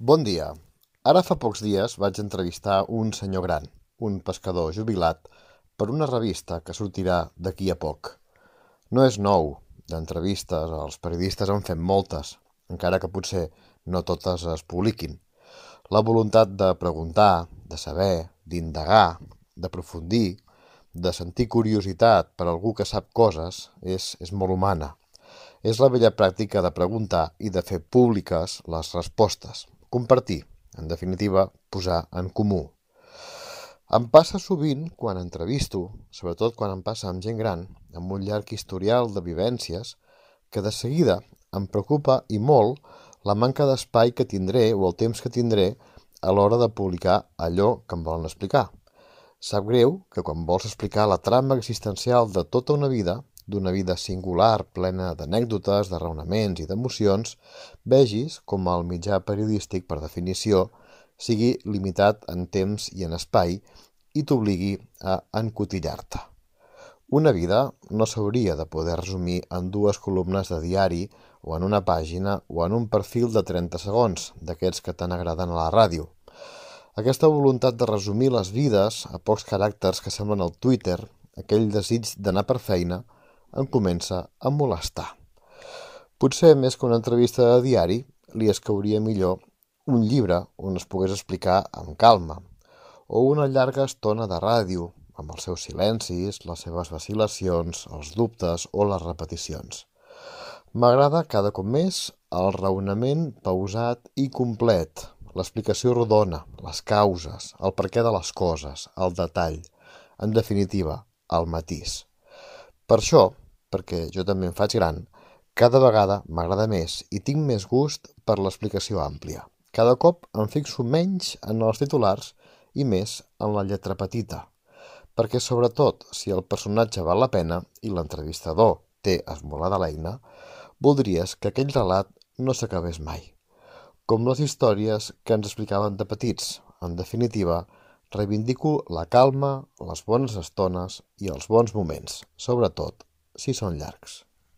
Bon dia. Ara fa pocs dies vaig entrevistar un senyor gran, un pescador jubilat, per una revista que sortirà d'aquí a poc. No és nou, d'entrevistes els periodistes en fem moltes, encara que potser no totes es publiquin. La voluntat de preguntar, de saber, d'indagar, d'aprofundir, de sentir curiositat per algú que sap coses, és molt humana. És la vella pràctica de preguntar i de fer públiques les respostes. Compartir, en definitiva, posar en comú. Em passa sovint quan entrevisto, sobretot quan em passa amb gent gran, amb un llarg historial de vivències, que de seguida em preocupa i molt la manca d'espai que tindré o el temps que tindré a l'hora de publicar allò que em volen explicar. Sap greu que quan vols explicar la trama existencial de tota una vida, d'una vida singular, plena d'anècdotes, de raonaments i d'emocions, vegis com el mitjà periodístic, per definició, sigui limitat en temps i en espai i t'obligui a encotillar-te. Una vida no s'hauria de poder resumir en dues columnes de diari o en una pàgina o en un perfil de 30 segons, d'aquests que tant agraden a la ràdio. Aquesta voluntat de resumir les vides a pocs caràcters que semblen al Twitter, aquell desig d'anar per feina, em comença a molestar. Potser més que una entrevista de diari, li escauria millor un llibre on es pogués explicar amb calma, o una llarga estona de ràdio, amb els seus silencis, les seves vacil·lacions, els dubtes o les repeticions. M'agrada cada cop més el raonament pausat i complet, l'explicació rodona, les causes, el perquè de les coses, el detall, en definitiva, el matís. Per això, perquè jo també em faig gran, cada vegada m'agrada més i tinc més gust per l'explicació àmplia. Cada cop em fixo menys en els titulars i més en la lletra petita, perquè sobretot si el personatge val la pena i l'entrevistador té esmolada l'eina, voldries que aquell relat no s'acabés mai. Com les històries que ens explicaven de petits. En definitiva, reivindico la calma, les bones estones i els bons moments, sobretot si són llargs.